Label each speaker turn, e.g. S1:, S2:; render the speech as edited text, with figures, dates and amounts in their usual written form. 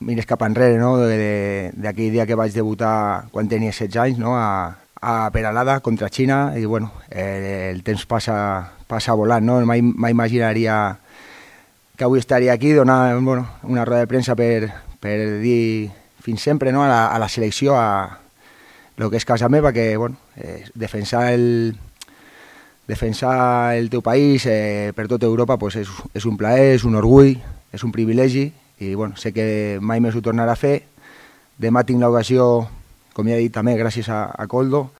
S1: mires cap enrere, no? D'aquell dia que vaig debutar quan tenia 16 anys, no? A Peralada contra Xina, i bueno, el temps passa volant, no? Mai imaginaria que avui estaria aquí donant una roda de premsa per dir fins sempre, no? a la selecció, a el que és casa meva, que defensar el teu país per tota Europa pues és un plaer, és un orgull, és un privilegi, i sé que mai més ho tornarà a fer. Demà tinc l'ocasió, com ja he dit també, gràcies a Koldo,